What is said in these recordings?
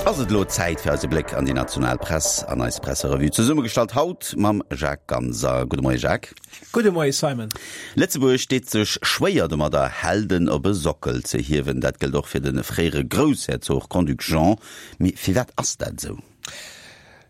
Ass et elo Zäit fir eise Bléck an déi national Press an eis Presserevue, zesummegestallt haut mam Jacques Ganser. Gudde Moie Jacques. Gudde Moie Simon. Lëtzebuerg deet sech schwéier domadder, Helden op e Sockel ze hiewen. Dat gëllt och fir de fréiere Groussherzog Grand-Duc Jean. Mee firwat ass dat esou?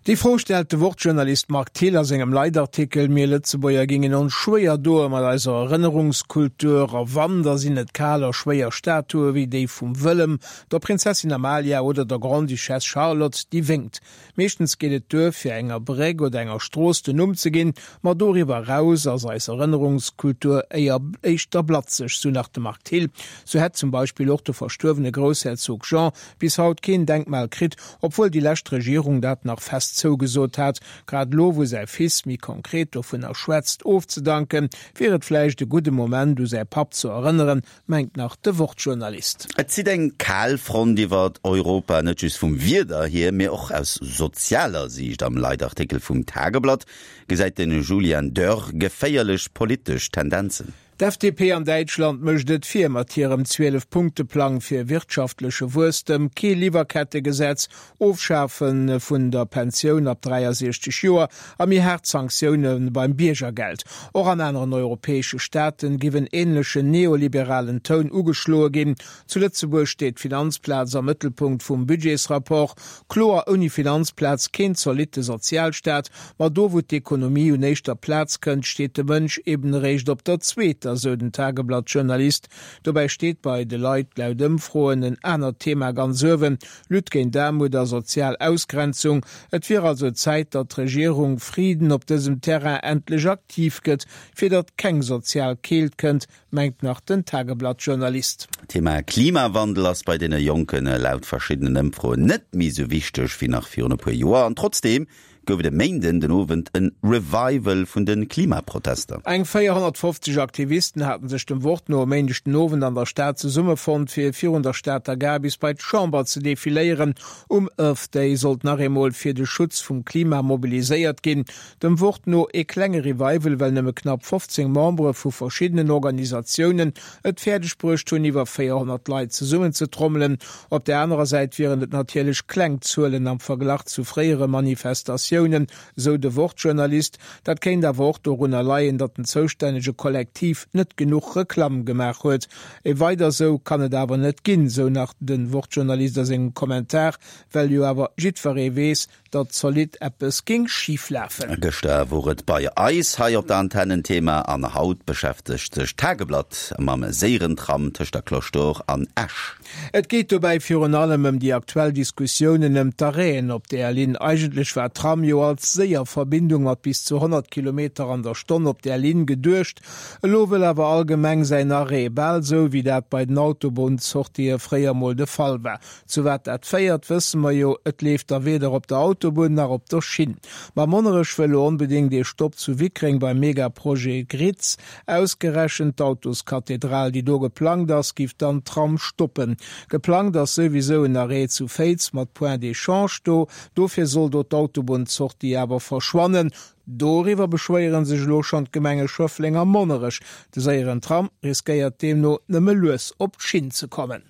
Déi Fro stellt de Wort-Journalist Marc Thill a sengem Leitartikel Mir Lëtzebuerger gingen ons schwéier doe mat eiser Erënnerungskultur, a wann, da sinn et kal a schwéier Statue wéi déi vum Wëllem, der Prinzessin Amalia oder der Grande-Duchesse Charlotte, déi wénkt. Meeschtens geet et duer, fir enger Bréck oder enger Strooss den Numm ze ginn, ma doriwwer eraus ass eis Erënnerungskultur éier éischter blatzeg, sou nach de Marc Thill. Sou hätt zum Beispill och de verstuerwene Groussherzog Jean bis haut keen Denkmal kritt, obwuel déi lescht Regierung dat nach fest zougesot hat. Grad elo, wou säi Fils méi konkret dovunner schwätzt, ofzedanken, wier et vläicht e gudde Moment, u säi Papp ze erënneren, mengt nach de Wort-Journalist. Et zitt eng kal Front iwwer Europa, net just vum Wieder hier, mee och aus sozialer Siicht. Am Leitartikel vum Tageblatt gesäit de Julian Dörr geféierlech politesch Tendenzen. D'FDP an Däitschland mécht et vir mat hirem 12 Punkte-Plang fir wirtschaftleche Wuesstem, kee Liwwerkettegesetz, Ofschafe vun der Pensioun ab 63 Joer a méi haart Sanktioune beim Biergergeld. Och an aneren europäesche Staaten giff en änlechen neoliberalen Toun ugeschloe ginn. Zu Lëtzebuerg steet d'Finanzplaz am Mëttelpunkt vum Budgetsrapport. Kloer, ouni Finanzplaz keen zolitte Sozialstaat. Ma do wou d'Ekonomie un éischter Plaz kënnt, steet de Mënsch eben eréischt op der zweeter, sou den Tageblatt-Journalist. Dobäi steet bei de Leit laut Ëmfroen en anert Thema ganz uewen, Lutte géint Aarmut a sozial Ausgrenzung. Et wier also Zäit, datt d'Regierung Frieden op dësem Terrain endlech aktiv gëtt, fir datt keng sozial Keelt kënnt, mengt nach den Tageblatt-Journalist. D'Thema Klimawandel ass bei deene Jonken laut verschiddenen Ëmfroen net méi sou wichteg wéi nach virun e puer Joer. An trotzdeem gouf et e Méinden den Owend e Revival vun de Klimaprotester. Eng 450 Aktivisten haten sech dem Wort no e Méindeg den Owend an der Stad zesummefonnt, fir virun der Stater Gare bis bei d'Chamber ze defiléieren. Um Earth Day sollt nach eemol fir de Schutz vum Klima mobiliséiert ginn. Dem Wort no ee klenge Revival, well nëmme knapp 15 Membere vu verschiddenen Organisatiounen et fäerdeg bruecht hunn, iwwer 400 Leit zesummenzetrommelen. Op där anerer Säit wieren et natierlech kleng Zuelen am Verglach zu fréiere Manifestatiounen, sou de Wort-Journalist. Dat kéint awer och dorunner leien, datt den zoustännege Kollektiv net genuch Reklamm gemaach huet. E weider sou kann et awer net ginn, sou nach de Wort-Journalist a sengem Kommentar, well jo awer jiddweree weess, datt zolidd eppes géing schif lafen. Gëschter wor et bei eis hei op der Antenn en Thema an haut beschäftegt sech d'Tageblatt mam séieren Tram tëscht der Cloche d'Or an Esch. Et geet dobäi virun allem ëm déi aktuell Diskussiounen ëm d'Arrêten op där Linn. Eigentlech war d'Tram jo als séier Verbindung mat bis zu 100 Kilometer an der Stonn op där Linn geduecht. Elo wëll awer all Gemeng säin Arrêt, bal sou wéi dat bei den Autobunnssortië fréier mol de Fall war. Zu wat dat féiert, wësse mer jo, et leeft da weder op der Autobunn nach op der Schinn. Ma Monnerech wëll lo onbedéngt ee Stopp zu Wickreng beim Megaprojet Gritz. Ausgerechent d'Autoskathedral, déi do geplangt ass, giff dann d'Tram stoppen. Geplangt ass souwisou en Arrêt zu Féiz mat Point d'échange do. Dofir soll do d'Autobunnssortie awer verschwannen. Doriwwer beschwéiere sech elo schonn d'Gemenge Schëffleng a Monnerech. De séieren Tram riskéiert deemno nëmme lues op d'Schinn ze kommen.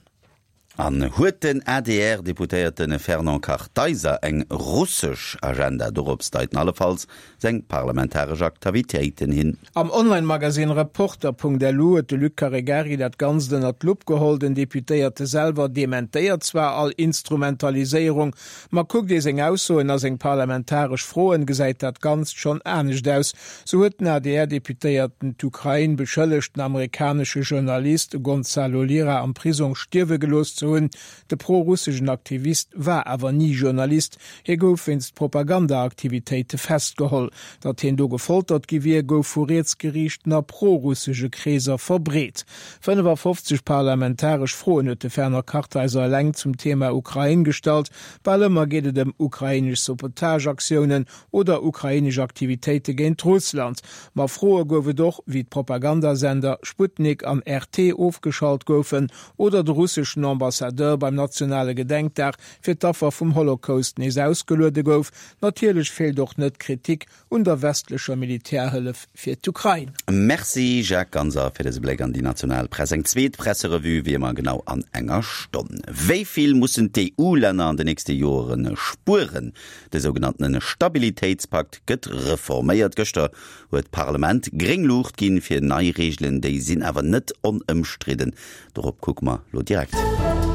An huet den ADR-Deputéierte Fernand Kartheiser eng russesch Agenda? Dorops deiten allefalls seng parlamentaresch Aktavitéiten hin. Am Online-Magasinn Reporter.lu huet de Luc Caregari dat Ganzt ënnert d'Lupp geholl. Den Deputéierte selwer dementéiert zwar all Instrumentaliséierung, ma kuckt ee seng Aussoen a seng parlamentaresch Froen, gesäit dat Ganzt schonn anescht aus. Sou huet den ADR-Deputéierten d'Ukrain beschëllegt, den amerikanesche Journalist Gonzalo Lira am Prisong stierwe gelooss ze hunn. De pro-russeschen Aktivist war awer ni Journalist, hie gouf wéinst Propaganda-Aktivitéite festgeholl. Datt hien do gefoltert gi wier, gouf vu rietsgeriichten a pro-russesche Kreeser verbreet. 55 parlamentaresch Froen huet de Fernand Kartheiser eleng zum Thema Ukrain gestallt. Bal ëmmer geet et ëm ukrainesch Sabotageaktiounen oder ukrainesch Aktivitéite géint Russland. Ma Froe gouf et och, wéi d'Propagandasender Sputnik an RT ofgeschalt goufen oder de russeschen Ambassadeur. Ambassadeur beim nationale Gedenkdag fir d'Affer vum Holocaust nees ausgeluede gouf. Natierlech feelt och net d'Kritik un der westlecher Militärhëllef fir d'Ukrain. Merci Jacques Ganser fir dëse Bléck an déi national Press. Eng zweet Presserevue wéi ëmmer genau an enger Stonn. Wéi vill mussen d'EU-Länner an de nächste Joere spueren? De sougenanntene Stabilitéitspakt gëtt reforméiert. Gëschter huet d'Parlament gréng Luucht ginn fir nei Reegelen. Déi sinn awer net onëmstridden. Dorop kucke mer lo direkt.